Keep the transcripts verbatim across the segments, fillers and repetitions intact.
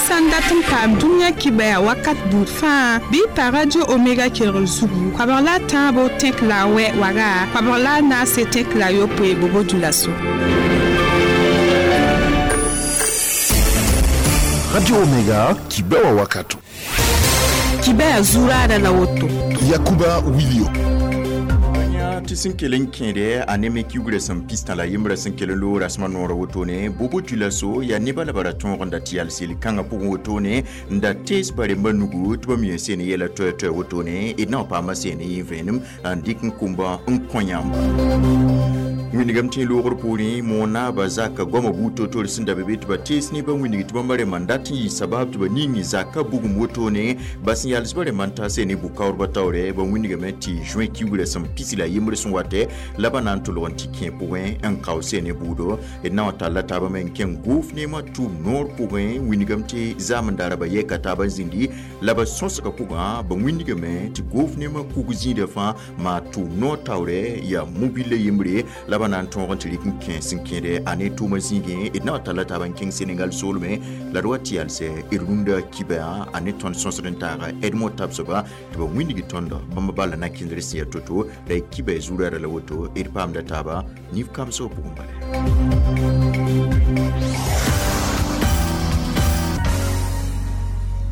Sãn dat n paam dũniyã kibaya wakat buud fãa bɩ pa Radio Omega kelgr zugu koabg la a tãabo tẽk la a wɛ waga koabg la a naase tẽk la a yopoe Bobo Dioulasso. Radio Omega kibewa wakato. Kibaya zurada la woto. Yakuba Wilio. Tɩ sẽn kell n kẽede a ne me kiugrã sẽn pistã la yembrã sẽn kell n loog rasmã noorã wotone Bobo Dioulasso yaa nebã la ba ra tõog n da tɩ yals yel-kãngã pʋgẽ wotone n da tees ba rembã nugu tɩ ba mi n seen yɛla toɛ-toɛ wotone d na n paama seen yẽ vẽenem n dɩk n kʋmba n kõ yãmba. Wĩnigame tɩ loogr poorẽ moon-naabã zaka goamã buud toor-toor sẽn da be be tɩ ba tees nebã wĩnig tɩ bãmba rẽmbã n dat n yɩ sabab tɩ ba ning zaka bugum wotone ba sẽn yals ba rẽmbã n ta seen ne bʋ-kaoodbã taoorɛ ba wĩnigame tɩ juin kiugrã sẽn pisi la yembr sẽn watɛ la ba na n tʋlg n tɩ kẽ pʋgẽ n kao seen ne bʋʋdo d na n talla taabã me n kẽng gʋʋf neemã tʋʋm noor pʋgẽ wĩnigame tɩ zaam n daara ba yɛka taabã zĩndi la ba sõsgã pʋgã ba wĩnigame tɩ gʋʋf neemã kug zĩidã fãa maa tʋʋm noor taoorɛ yaa mobila yembre la ba na n tõog n tɩ rɩk n kẽ sẽn kẽede a ne tʋʋmã zĩigẽ d na n talla taabã n kẽng Senegal soolmẽ la d wa tɩ yalsɛ d rũndã kibã a ne tõnd sõsd n taaga Edmond Tabsoba tɩ ba wĩndg tõndo bãmb bala na kẽndr sẽn yaa to-to la y kiba zurara la woto d paamda taaba nif kamsg pʋgẽ bala.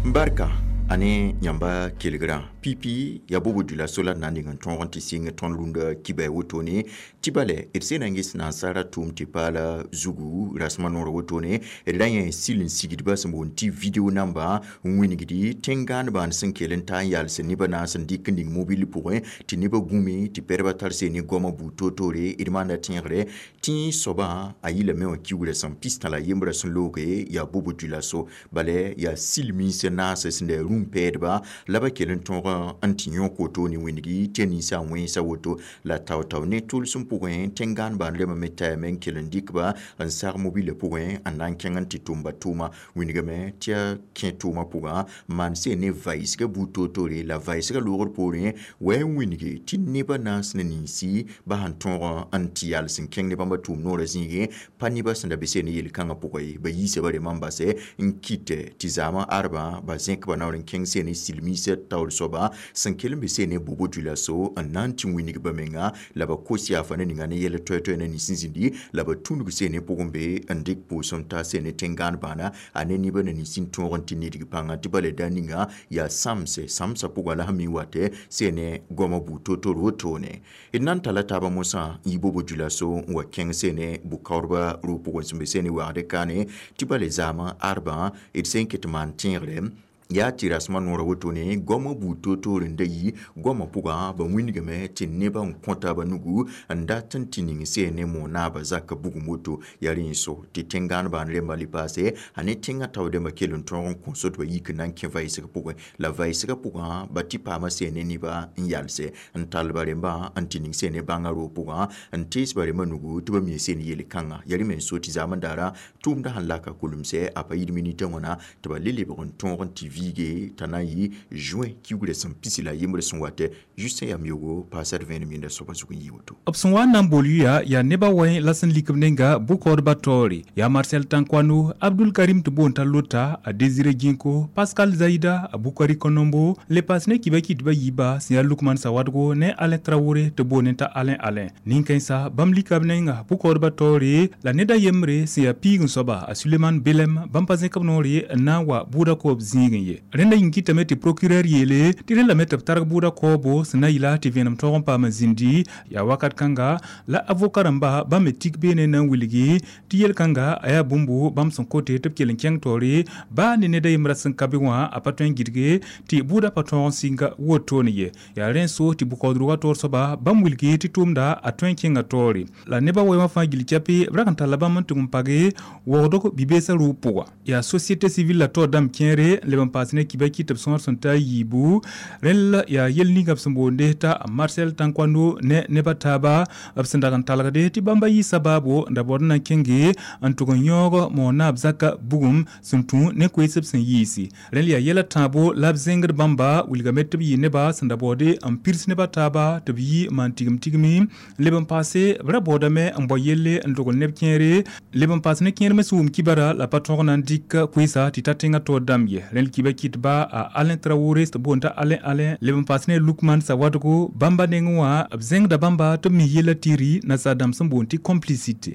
Barka ane yãmba kelgrã pipi ya Bobo Dioulasso la na n ning n tõog n tɩ sɩng tõnd rũndã kibã wotone tɩ bale d sẽn na n ges nansara tʋʋm tɩ paala zugu rasmã noorã wotone d ra yẽ sil n sigdba sẽn boond tɩ video namba n wĩnigdi tẽn-gãanebãan sẽn kell n ta n yals nebã naas n dɩk n ning mobil pʋgẽ tɩ nebã gũme tɩ pɛdbã tar seen ne goamã buud toor-toore d maanda tẽegre tɩ soabã a yɩlame wã kiugrã sẽn pistã la yembrã sẽn looge yaa Bobo Dioulasso bala yaa sil minsã naasã sẽn da rũm pɛɛdba la ba kell n tõog n tɩ yõk woto ne wĩndgi tɩ ninsã wẽnsa woto la tao-tao ne tʋlsem pʋgẽ tẽn-gãanebã n lemame tayame n kell n dɩkba n sag mobilã pʋgẽ n na n kẽng n tɩ tʋmba tʋʋma wĩndgame tɩ a kẽ tʋʋmã pʋgã maan seen ne vaɩsgã buud toor-toore la vaɩsgã loogr poorẽ wa n wĩnge tɩ nebã naas ne ninsi ba sẽn tõog n tɩ yals n kẽng ne bãmba tʋʋm noorã zĩigẽ pa nebã sẽn da be seen ne yel-kãngã pʋgã ye ba yiisa ba rembã n basɛ n kɩtɛ tɩ zaamã arbã ba zẽkba naoor n kẽng seen ne silmiisã taoor soaba sẽn kell n be seen ne Bobo Dioulasso n na n tɩ wĩnig ba menga la ba kos yaafa ne ninga ne yɛl toɛ-toɛ na nins n zĩndi la ba tũnug seen ne pʋgẽ be n dɩk pʋʋsem ta seen ne tẽn-gãan-bãana a ne nebã na nins n tõog n tɩ nidg pãnga tɩ bala da ninga yaa sãmse sãmsã pʋgã la sẽn mi watɛ seen ne goamã buud toor-toor wotone d na n talla taabã mosã n yi Bobo Dioulasso n wa kẽng seen ne bʋ-kaoodbã rʋʋg pʋgẽ sẽn be seen ne wagd kaane tɩ bala zaamã arbã d sẽn ket maan tẽegre yaa tɩ rasmã noorã wotone goamã buud toor-toor n da yi goamã pʋgã ba wĩndgame tɩ nebã n kõ taabã nugu n dat n tɩ ning seen ne moon-naabã zakã bugum woto yaa rẽ so tɩ tẽn-gãan-bãan rembã le paase a ne tẽngã tao dẽmbã kell n tõog n kõso tɩ ba yik n na n kẽ vaɩsg pʋgẽ la vaɩsgã pʋgã ba tɩ paama seen ne nebã n yalse n tall ba rembã n tɩ ning seen ne bãngã roog pʋgã n tees ba rembã nugu tɩ ba mi seen yel-kãngã yaa rẽ me n so tɩ zaam n daara tʋʋmdã sẽn laka kulemsɛ a pa yid minitã wãna tɩ ba le lebg n tõog n tɩ viige t'a na n yɩ juin kiugrã sẽn pisi la yembrã sẽn watɛ Justin yam yogo paasad vẽenem yẽnda soabã zug n yɩ woto. B sẽn wa n na n bool yʋya yaa nebã wẽ la sẽn lik b nenga bʋ-kaoodbã taoore yaa Marcel Tankwano, Abdul Karim tɩ boond t'a Lota, a Désiré Ginko, Pascal Zaida, a Bukari Konombo, le paas ne kiba kɩtbã yiiba sẽn yaa Lukman Sawadgo ne Alain Traoré tɩ boond t'a Alain Alain. Nin-kãensa bãmb lika b nenga bʋ-kaoodbã taoore la ned a yembre sẽn yaa piig n soaba a Suleiman Belem bãmb pa zẽk b noore n na n wa bʋʋda koob zĩigẽ ye. Rẽnda yĩng kɩtame tɩ procureur yeele tɩ rẽ lame tɩ b targ bʋʋda kaoobo sẽn na yɩla tɩ vẽenem tõog n paam n zĩndi yaa wakat kãnga la avoka rãmba bãmb me tik beene na n wilgi tɩ yel-kãnga a yaa bũmbu bãmb sẽn kote tɩ b kell n kẽng taoore baa ne ned a yembrã sẽn ka be wã a pa tõe n gɩdge tɩ bʋʋda pa tõog n sɩnga wotone ye. Yaa rẽ n so tɩ bʋ-kaoodrugã taoor soaba bãmb wilgi tɩ tʋʋmda a tõe n kẽnga taoore la nebã wɛɛmã fãa gill cape b rag n talla bãmb n tʋg n page waoodg bi-beesã rʋʋg pʋga. Yaa société civile la taoor dãmb kẽere leb n paas ne kiba kɩ tɩ b sõor sẽn ta a yiibu rẽnd yaa yel ninga b sẽn boonde t'a Marcel Tankoano ne neb a taaba b sẽn dag n talgde tɩ bãmba yɩ sabaabo n da baood n na n kẽnge n tʋg n yãoog moon-naab zaka bugum sẽn tũ ne koees b sẽn yiisi rẽnd yaa yɛla tãabo la b zẽngd bãmba wilgame tɩ b yɩ neba sẽn da baoode n pirs neb a taaba tɩ b yi maan tigim tigmi leb n paase b ra baoodame n bao yelle n dogl neb kẽere leb n paas ne kẽer me sẽn wʋm kibara la pa tõg na n dɩk koeesa tɩ ta tẽngã taoor dãmb ye rẽnd kiba kɩtba a Alain Traoré tɩ boond t'a Alain Alain leb n paas ne Lukman Sawadogo bãmba nengẽ wã b zẽngda bãmba tɩ b mi yella tɩ nasaar dãmb sẽn boond tɩ complicité.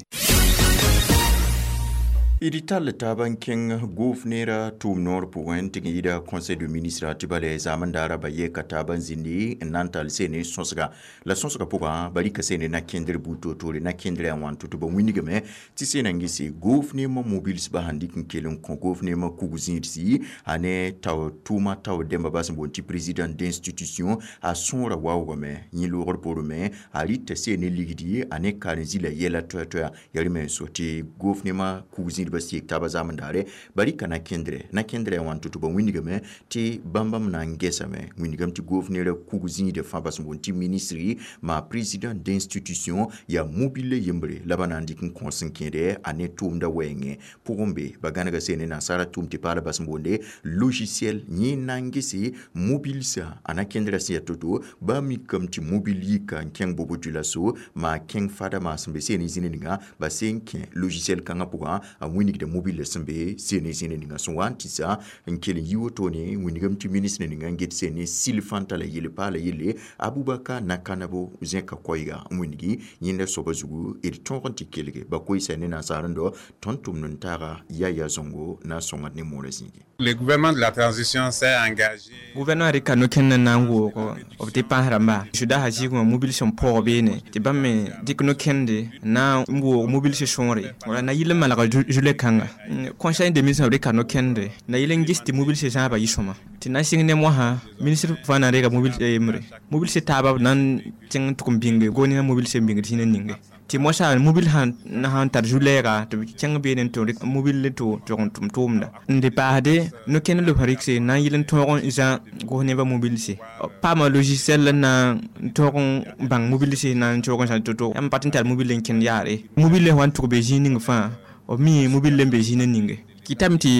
D tall taaba n kẽng gʋʋf-neerã tʋʋm noor pʋgẽ tɩ yɩɩda conseil de ministre tɩ bale zaamend-daara ba yeka taaba n zĩndi n na n tall seene sõsga la sõsga pʋgã ba rɩka seene na-kẽndr buud toor-toore na-kẽndrã yaa wãn tɩ ba wilgame tɩ seena n gese gʋʋf-neemã mobilsbã sẽn dɩk n kell n kõ gʋʋf-neemã kug-zĩidsi a ne tao tʋʋma tao dẽmba ba sẽn boond tɩ président d'institution a sõora waoogame yẽ loogr poorẽ me a rɩta seene ligdi a ne karen-zila yɛla toɛ-toɛa yaa rẽ me n so tɩ gʋʋf-neemã kug-zĩidbã sik taaba zaamend-daare ba rɩka na-kẽndrɛ na-kẽndrã yaa wãn tɩ tɩ ba wilgame tɩ bãmba m na n gesame wilgame tɩ gʋʋf-neerã kug-zĩidã fãa bas n boond tɩ ministre maa président d'institution yaa mobile yembre la ba na n dɩk n kõs n kẽede a ne tʋʋmda wɛɛngẽ pʋgẽ be ba gãnega seene nasaara tʋʋm tɩ paala bas n boonde logiciel yẽ na n gese mobilsã a na-kẽndrã sẽn yaa to-to ba mikame tɩ mobil yika n kẽng bobo dioulasso maa kẽng fada maa sẽn be seene zĩni ninga ba sẽn kẽ logiciel kãngã pʋgã a wĩnigda mobile sẽn be seene zĩni ninga sẽn wa n tɩsa n kell n yi wotone wĩnigame tɩ ministre ninga n get seene sil fãnta la yelle paala yelle Abubakar Nakanabo zẽka koɛɛga n wĩnigi yẽnda soaba zugu d tõog n tɩ kelge ba koeesa ne nasaar n dao tõnd tʋmd n taaga Yaya Zongo na n sõngd ne moorã zĩigi. Le gouvernement de la transition s'est engagé. Gouvernement rɩka no-kẽnd n na n woog b tɩ pãas rãmba sʋda zɩɩgẽ wã mobil sẽn paoog beene tɩ bãmb me dɩk no-kẽnde na n woog mobil sẽn sõore wala na yɩl n malg zule kãnga conseil de ministre b rɩka no-kẽnde na yɩl n ges tɩ mobil sẽ zãabã yɩ sõma tɩ na n sɩng ne mosã ministre fãa na n reega mobil yembre mobil sẽ taaba b na n tẽng n tʋg n bĩnge gomnã mobil sẽn bĩngd zĩna ninge tɩ mosã mobil sãn sãn tar zu-lɛɛga tɩ b kẽng beene n tɩ rɩk mobil tɩ tʋg n tʋm tʋʋmda n dɩ paasde no-kẽnd lob rɩkse na n yɩl n tõog n zã gos nebã mobilse paama logiciel n na n tõog n bãng mobilse na n tõog n zã to-to yãmb pa tɩ n tar mobil n kẽnd yaare mobil wa n tʋg be zĩig ning fãa b mi mobil n be zĩig ninge kɩtame tɩ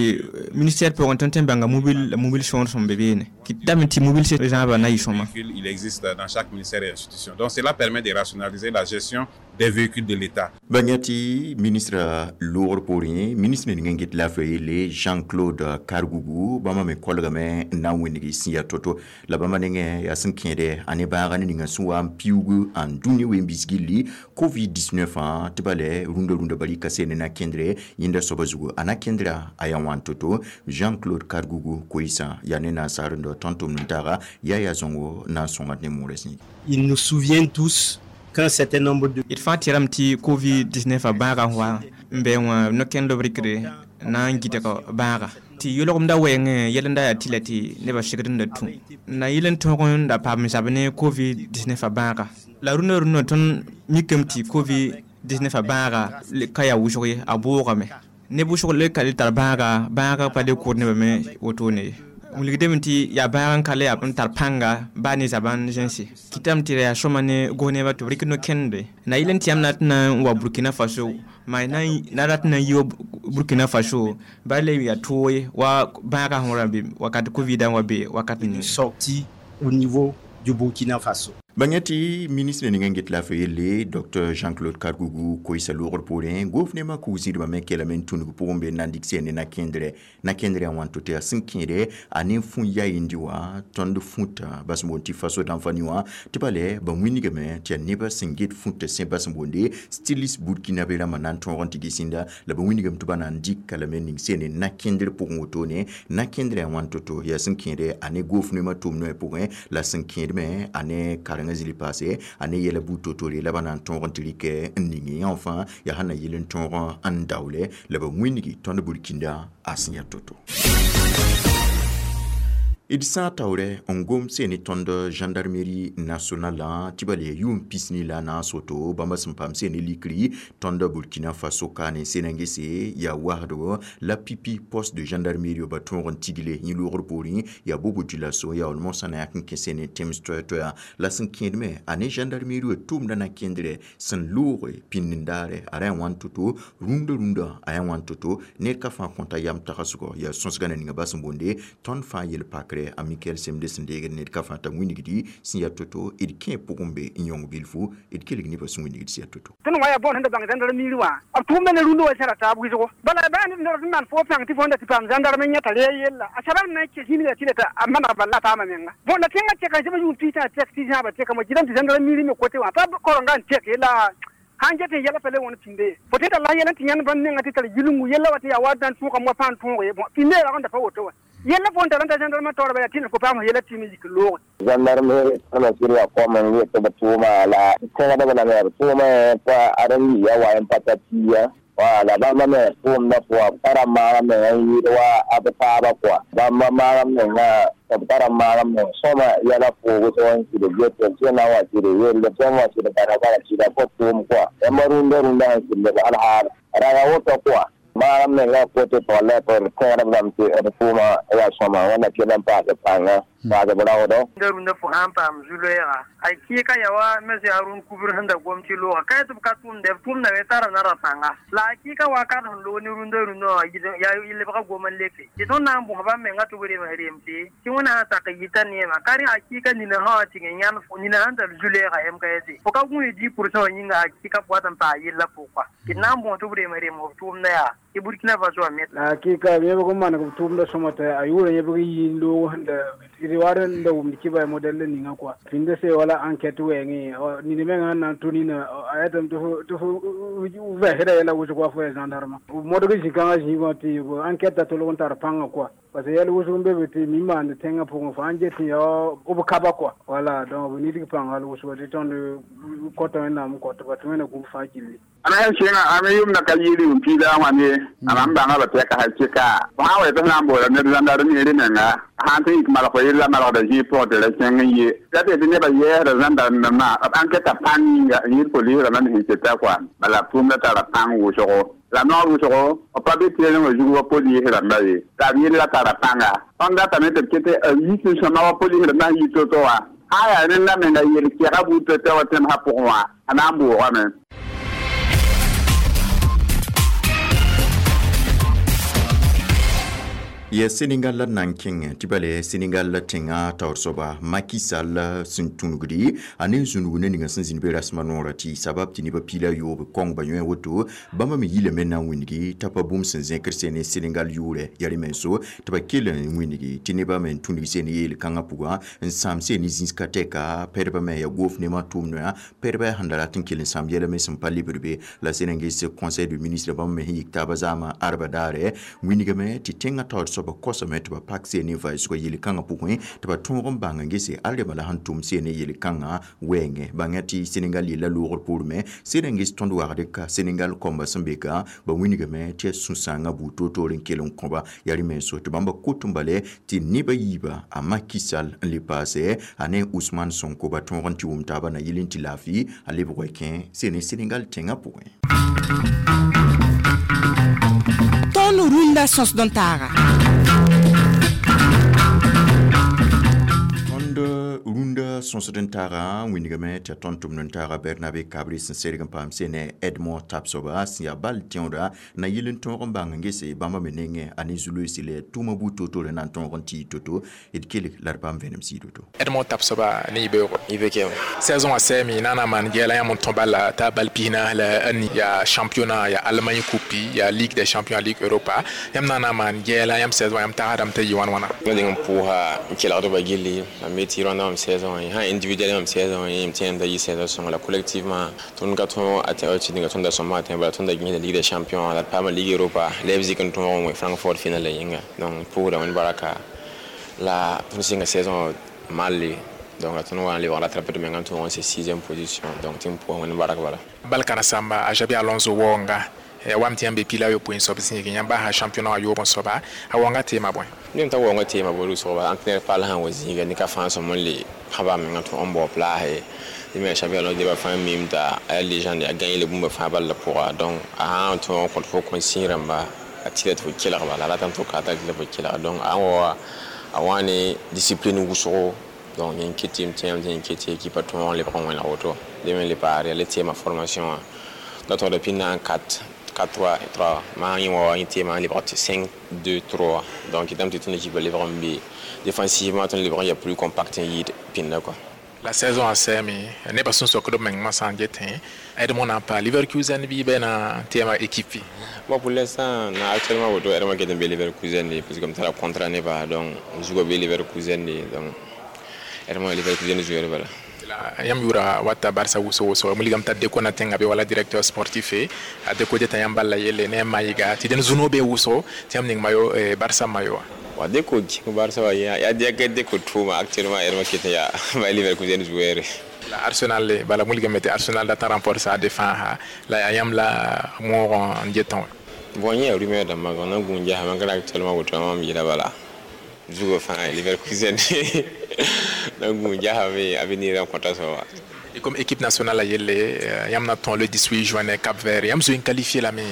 ministère pʋgẽ tõnd tõe n bãnga mobil la mobil sõor sẽn be beene kɩtame tɩ mobil zãabã na yɩ sõma. Il existe dans chaque ministère et institution. Donc cela permet de rationaliser la gestion des véhicules de l'État. Ba yã tɩ ministre loogr poorẽ ministre ning n get laafɩ yelle Jean-Claude Kargougou bãmba me kolgame n na n wẽneg sẽn yaa to-to la bãmba nengẽ yaa sẽn kẽede a ne bãaga ne ninga sẽn wa n piuug n dũni ween-biis gilli COVID dix-neuf tɩ bale rũndã rũndã ba rɩka seene na-kẽndre yẽnda soaba zugu a na-kẽndrã a yaa wãn to-to Jean-Claude Kargougou koeesã yaa ne nasaar n dao tõnd tʋmd n taaga Yaya Zongo na n sõngd ne moorã zĩigi. Ils nous souviennent tous qu'un certain nombre de d fãa tɩrame tɩ COVID dix-neuf a bãagã wa n bɩ wã no-kẽnd b rɩkde na n gɩdg bãaga tɩ yʋlgemda wɛɛngẽ yɛl n da yaa tɩla tɩ nebã segd n da tũ na yɩl n tõog n da paam zab ne COVID dix-neuf a bãaga la rũndã rũndã tõnd mikame tɩ COVID dix-neuf a bãaga ka yaa wʋsg ye a boogame neb wʋsg le ka le tar bãaga bãaga pa le kʋʋd nebã me wotone ye wilgdame tɩ yaa bãag n ka le yaa n tar pãnga baa ne zabã n zẽnse kɩtame tɩ yaa sõma ne gos nebã tɩ b rɩk no-kẽnde na yɩl n tɩ yãmb na tɩ na n wa Burkina Faso maa na rat na n yi wa Burkina Faso ba le yaa toog ye wa bãagã sẽn ra be wakat COVID n wa be wakat ning. Sorti au niveau du Burkina Faso. Ba yã tɩ ministre ning n get laafɩ yelle Docteur Jean-Claude Kargougou koeesa loogr poorẽ gʋʋf-neemã kug-zĩidbã me kelame n tũnug pʋgẽ be n na n dɩk seene na-kẽndrɛ na-kẽndrã yaa wãn to tɩ yaa sẽn kẽede a ne fũ yayindi wã tõnd fũta bas n boond tɩ faso dãmb wã tɩ bale ba wĩnigame tɩ yaa nebã sẽn get fũta sẽ bas n boonde styliste burkinabé rãmbã na n tõog n tɩ gesĩnda la ba wĩnigame tɩ ba na n dɩka lame ning seene na-kẽndr pʋgẽ wotone na-kẽndrã yaa wãn to-to yaa sẽn kẽede a ne gʋʋf-neemã tʋʋm-noɛ pʋgẽ la sẽn kẽed me a ne karengã zĩli paase a ne yɛla buud to-tore la ba na n tõog n tɩ rɩkɛ n ning yã fãa yaa sẽn na yɩl n tõog n daoole la ba wĩnigi tõnd burkinda a sẽn yaa to-to. D sã n taoorɛ n gom sẽn ne tõnd gendarmerie nationale tɩ ba le yʋʋm pisni la a naas woto bãmba sẽn paam sẽn ne likri tõnd Burkina Faso ka ne sẽn n gese yaa wasdgo la pipi poste de gendarmerie ba tõog n tigle yẽ loogr poorẽ yaa Bobo Dioulasso yaool mosã na yak n kẽ sẽn ne tẽms toɛ-toɛa la sẽn kẽedme a ne gendarmerie tʋʋmdã na kẽndrɛ sẽn looge pĩnd-n-daare a ra yaa wãn to-to rũndã rũndã a yaa wãn to-to ned ka fãa kõta yam tagsgɔ yaa sõsgã na ninga bas n boonde tõnd fãa yel-pakrɛ a Michael Semde sẽn deegd ned ka fãa t'a wĩnigdi sẽn yaa to-to d kẽ pʋgẽ be n yõng bilfu d kelg nebã sẽn wĩnigd sẽn yaa to-to. Tõnd wa yaa bõon sẽn da bãng zãndarmiir wã b tʋʋmda ne rũndã wa sẽra taab wɩsgo bala baa ned sẽn maan fo pãng tɩ fo da tɩ paam zãndarm n yãta re yella a sabr na n kes yĩnga tɩ la a maneg bal la paama menga bõn la tẽngã tɛka zẽb yʋʋm piisã tɛk tɩ zãaba tɛka mo gɩdame tɩ zãndarmiir me kote wã pa korenga n tɛk la sãn get n yɛla pa le wãn pĩnde fo tɩ tara la yɛl n tɩ yãnd bãmb menga tɩ tar yilngu yella wa tɩ yaa wa dãn tõogame wa pãan tõog ye pĩnde rag n da pa woto wã yella fo n tara n ta gendarme taoor bala tɩ fo paam yɛla tɩ me yik looge gendarmerie tõna sɩd yaa kom n yet tɩ b tʋʋma la tẽgdb lame b tʋʋma pa ad n yiya wa n pa ta pia wala bãmba me tʋʋmdã pʋga b tara maagam menga n yɩɩd wa a b taaba kɔa bãmba maagam menga b tara maagam meng sõma yɛla pʋʋg tɩ n sɩd get b sẽn na n wa tɩ d yelle b sẽn wa tɩ d bara bara sɩda fo tʋʋm kɔa yãmba rũndã rũndã sẽn sɩd leb alhaal raga woto kɔa maagam menga kote tɩg la tɩ d tẽedb lame tɩ d tʋʋma yaa sõma wãnna kell n paas pãnga paas b raoodo rũndã rũndã fo sã n paam zu-loɛɛga a kɩɩka yaa wa monsieur Arun kubr sẽn da gom tɩ looga ka tɩ b ka tʋʋmda b tʋʋmdame tara nara pãnga la a kɩɩka wakat sẽn loog ne rũndã rũndã wã yaa lebga gom n leke tɩ tõnd na n bõs bãmb menga tɩ b rems remse tɩ wẽna sã sak yita neema ka rẽ a kɩɩka nina sã wã tɩ yãnd nina sẽn tar zu-loɛɛga M K S fo ka gũus dix pourcent wã yĩnga a kɩɩka pʋga tɩ n paa yella pʋgka tɩ d na n bõs tɩ b rems rems b tʋʋmda yaa tɩ Burkina Faso wã me la hakika yẽbg n maneg b tʋʋmda sõma t'a a yʋʋra yẽbg yɩ n loog sẽn da d war n da wʋmd kɩba modɛl ninga kɔa pĩnda se wala enquête wɛɛngẽ nina mengã n na n tʋ nina a yetame tɩ fo vɛɛsda yɛla wʋsg wa fo ya gendarme modg zĩ-kãngã zĩigã tɩ enquête a tolg n tar pãngã kɔa parce que yɛl wʋsg n be be tɩ mi maand tẽngã pʋgẽ fo sãn get n yaa b kaba kɔa wala donc b nidg pãng hal wʋsga tɩ tõnd kɔta wẽnnaam n kɔtba tɩ wẽna gũb fãa gilli. Ana yãmb sẽnga a me yʋmda ka yɩɩd yʋʋm piida wã ne a mam bãnga ba tɛka hal tɩka fo sã n wa tɩ f na n boola ned zãndarmeere menga sã n tɩ yik malg fo yella malgda zĩig pʋgẽ tɩ ra kẽng n ye la tɩ tɩ nebã yɛɛsda zãndarmdãmbã b enquête pãng yĩnga n yɩɩd polisrãmbã me sẽn keta kɔa bala tʋʋmda tara pãng wʋsgo la noor wʋsgo b pa be tɩrengã zug wa polisrãmba ye la b yella tara pãnga tõnd datame tɩ b ket a yik n sõma wa polisrãmbã sẽn yi to-to wã sã n yaa rẽnda menga yel kɛga buud to-to wa tẽmsã pʋgẽ wã a na n boogame. Ya Senegal la nan kẽngẽ tɩ bale Senegal la tẽngã taoor soaba Macky Sall sẽn tũnugdi a ne zũnug ne ninga sẽn zĩnd be rasmã noorã tɩ sabab tɩ nebã piila yoob kõng ba yõe woto bãmba me yilame na n wĩngi t'a pa bũmb sẽn zẽkr sẽn ne Senegal yʋʋrɛ yaa rẽ-menso tɩ ba kell n wĩngi tɩ nebã me n tũnug sẽn yeel-kãngã pʋgã n sãam sẽn ne zĩis ka tɛka pɛdbã me yaa goof nemã tʋʋm-noya pɛdbã sẽn da rat n kell n sãam yɛla me sẽn pa lebd be la sẽn n ges conseil de ministre bãmb me sẽn yik taabã zaamã arba daarɛ wĩnigame tɩ tẽngã taoor soaba kosame tɩ ba pak seen ne vaɩsgɔ yel-kãngã pʋgẽ tɩ ba tõog n bãng n gese al rema la sẽn tʋm seen ne yel-kãngã wɛɛngẽ bãngã tɩ Senegal yella loogr poorẽ sẽn n ges tõnd wagd ka Senegal kõmba sẽn be ka ba wĩnigame tɩ yaa sũ-sãangã buud toor-toor n kell n kõba yaa rẽ-menso tɩ bãmba kot n bale tɩ nebã yiiba a Macky Sall n le paasɛ a ne Ousmane Sonko ba tõog n tɩ wʋm taabã na yɩl n tɩ laafɩ a lebg wa kẽ seen ne Senegal tẽngã pʋgẽ. Tõnd rũndã sõsd n taaga. Tõnd rũndã sõsd n taaga wĩnigame tɩ yaa tõnd tʋmd n taaga Bernabe Kabre sẽn serg n paam sẽn ne Edmond Tapsoba sẽn yaa bal tẽoda na yɩl n tõog n bãng n gese bãmba me nengẽ a ne zu-loeese la tʋʋmã buud to-toore na n tõog n tɩ to-to d kelg la d paam vẽenem sɩɩd woto. Edmond Tapsoba ne yibeoogo I B K saison a sɛɛme na n na maan yɛla yãmb n tõ bala t'a bal pisnaas la a ni yaa championnat yaa Allemagne coupe yaa Ligue des champions, Ligue Europa yãmb na n na maan yɛla yãmb saison yãmb tagsdame t'a yɩ wãn wãna. Ma deng n pʋʋsa n kelgdba gilli mam me tɩ rõndã mam saison sã individuel mam saison yẽ m tẽem t'a yɩ saison sõngo la collectivement tõnd ka tõog a tɩ ninga tõnda sõma a tẽ bala tõnda gĩsda Ligue des champions la d paama Ligue Europa Leipzig n tõog n wẽ Francfort final la yĩnga donc pʋʋsda wẽnd baraka la tõnd sɩnga saison malle donc la tõnd wa n lebg rattraper d menga n tõog n se sixième position donc tɩ n pʋʋs wẽnd barak bala. Bal kãrensãmba a Xabi Alonso waoonga wam tɩ yãmb be pila yopoe n soab zĩigẽ yãmb basa championnat wã yoob n soaba a wãnga teema bõe nem t'a waoongã teema bo rʋsgba entraîneur paal sã n wa zĩiga ne ka fãa sõm n le pãba menga tɩ n bao place tɩ me championnat neba fãa mim t'a a yaa légende a gagné le bũmba fãa bal la pʋga donc a sã n tõog n kõt fo consigne rãmba a tɩla tɩ fo kelgba la a ratame tɩ fo ka tɩ fo kelga donc a sã n wa a wã ne discipline wʋsgo donc yẽn ket tɩ m tẽem tɩ yẽn ket tɩ équipe a tõog n lebg n wẽneg woto dẽ me le paare yaa le teema formation wã la tõgda pĩnd quatre quatre trois trois maa yẽ wa yẽ teema n lebg tɩ cinq deux trois donc kɩtame tɩ tõnd équipe lebg n be défensivement tõnd lebg n yaa plus compact n yɩɩd pĩnda quoi la saison a sɛame nebã sẽn sokd b meng masã n getẽ Edmond na n pa Leverkusen bɩ bɩ na teema équipe bon pour l'instant na actuellement woto Edmond ket n be Leverkusen de parce que m tara contrat neba donc zugã be Leverkusen de donc Edmond Leverkusen joueur bala la yãmb yʋra wata Barça wʋsg wʋsg wilgame t'a Deco na tẽngã be wala directeur sportif a Deco deta yãmb bal la yelle ne a mayga tɩ dẽn zũno be wʋsgo tɩ yãmb ning mayo Barça mayo wã wa Deco kẽng Barça wa yaa yaa Deco tʋʋma actuellement Edmond ket n yaa Bayer Leverkusen joueur la Arsenal le bala wilgame tɩ Arsenal dat n renforce a défense la yaa yãmb la moog n getẽ wã bon yẽ yaa rumeur dãmbã na n gũun gesame malgré actuellement woto mam yeela bala zugã fãa Leverkusen na n gũun gesame avenir n kõta soaba Et comme équipe nationale a yelle yãmb na tõe le dix-huit juin ne Cap Vert yãmb zoe n qualifié lame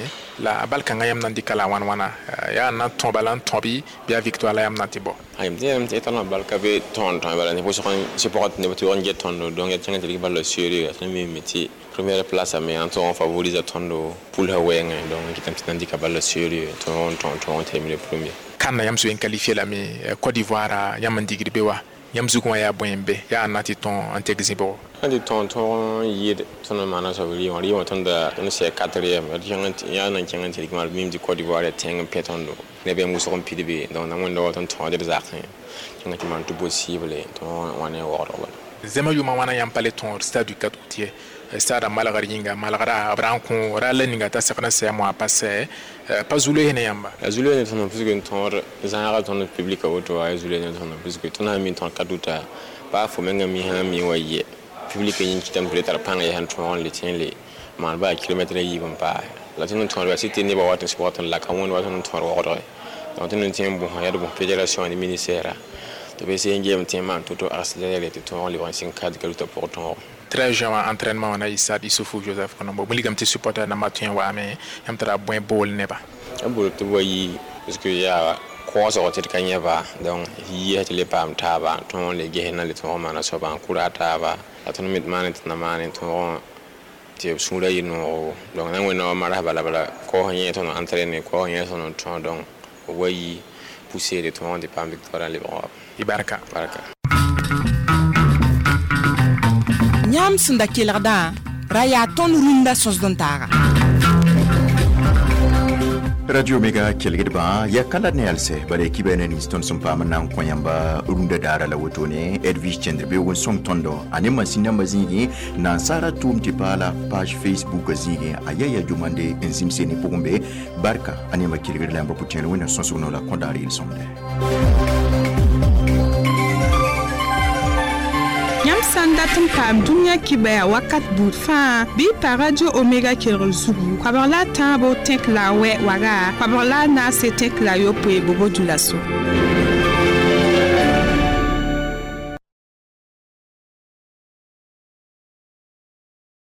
la bal kãngã yãmb na n dɩka la wãn wãna yaa na n tõ bala n tõbi bɩ a victoire la yãmb na tɩ bao ayem tɩ yãmb tɩ tõnd bal ka be tõnd tõe bala ne pʋsg sɩ pʋgã tɩ neb tɩ n get tõndo donc yaa kẽngã tɩ rɩk bal la sérieux tõnd mime tɩ première place me n tõog n favorise tõndo pʋlsã wɛɛngẽ donc kɩtame tɩ na n dɩka bal la sérieux tõog n tõog tõog n terminer premier CAN yãmb zoe n qualifié lame Côte d'Ivoire yãmb n digd be wa yãmb zugã wã yaa bõe n be yaa n na tɩ tõog n tek zĩbgo sãn tɩ tõog tõog n yɩɩd tõnd n maana soab rɩ wã rɩ wã tõnda tõnd sɛ quatrième yaa na n kẽng n tɩ rɩk maan mim tɩ Côte d'Ivoire yaa tẽng n pẽ tõndo neb yãmb wʋsg n pid be donc na wẽnda wa tõnd tõogd d zakẽ kẽnga tɩ maan tɩ possible tõog wã ne waoodg bala zẽmã yʋʋmã wãna yãmb pa le tõod stade du quatre août ye stade a malgr yĩnga malgra b ra n kõ ra la ninga t'a segd n sɛ moa pa sɛ pa zuloe ne yãmba ya zuloe ne tõnd puisque n tõod zãaga tõnd public a woto wa ya zuloe ne tõnd puisque tõnd sã n mi tõd quatre août baa fo menga mi sã n mi wa yɛ public yĩng kɩtame tɩ le tar pãng yaa sẽn tõog n le tẽ n le maan baa kilomɛtre a yiib n paase la tõnd n tõod yaa sɩ tɩ nebã wat n sʋgd tõnd la ka wẽnd wa tõnd n tõod waoodge donc tõnd n tẽ n bõsa yaa d bõs fédération ne ministère tɩ b sẽn geem tẽ n maan to-to accéléré tɩ tõog n lebg n sɩng kad ka rutã pʋgẽ tõogo treize juin wã entraînement wã na yɩ stade Issoufou Joseph Konombo wilgame tɩ supporter nambã tõe n waame yãmb tara bõe bool nebã a bool tɩ b wa yi parce que yaa koosg tɩ d ka yẽba donc yɩɩsa tɩ le paam taaba tõog n le ges na le tõog n maana soaba n kʋra taaba la tõnd me maane tɩ na maane tõog tɩ b sũurã yɩ noogo donc na n wẽnna wa marsã bala bala kaoos yẽ tõnd entraîner kaoos yẽ tõnd n tõog donc b wa yi pousser tɩ tõog n tɩ paam victoire n lebg wa y barka barka yãmb sẽn da kelgdã ra yaa tõnd rũndã sõsd n taaga Radio Omega kelgdbã yaa ka la ne yalsɛ bala kiba ne nins tõnd sẽn paam n na n kõ yãmba rũndã daara la wotone Edwige Chendr beoog n sõng tõndo a ne masin nambã zĩigẽ nansaara tʋʋm tɩ paala page Facebook zĩigẽ a ya ya jumande n zĩmse ne pʋgẽ be barka a neema kelgd la yãmba pʋtẽer wẽnna sõsg no la kõ daar yel-sõmde yãmb sã n dat n paam dũniyã kibaya wakat buud fãa bɩ y pa Radio Omega kelgr zugu koabg la a tãabo tẽk la a wɛ waga koabg la a naase tẽk la a yopoe bobo dulaso.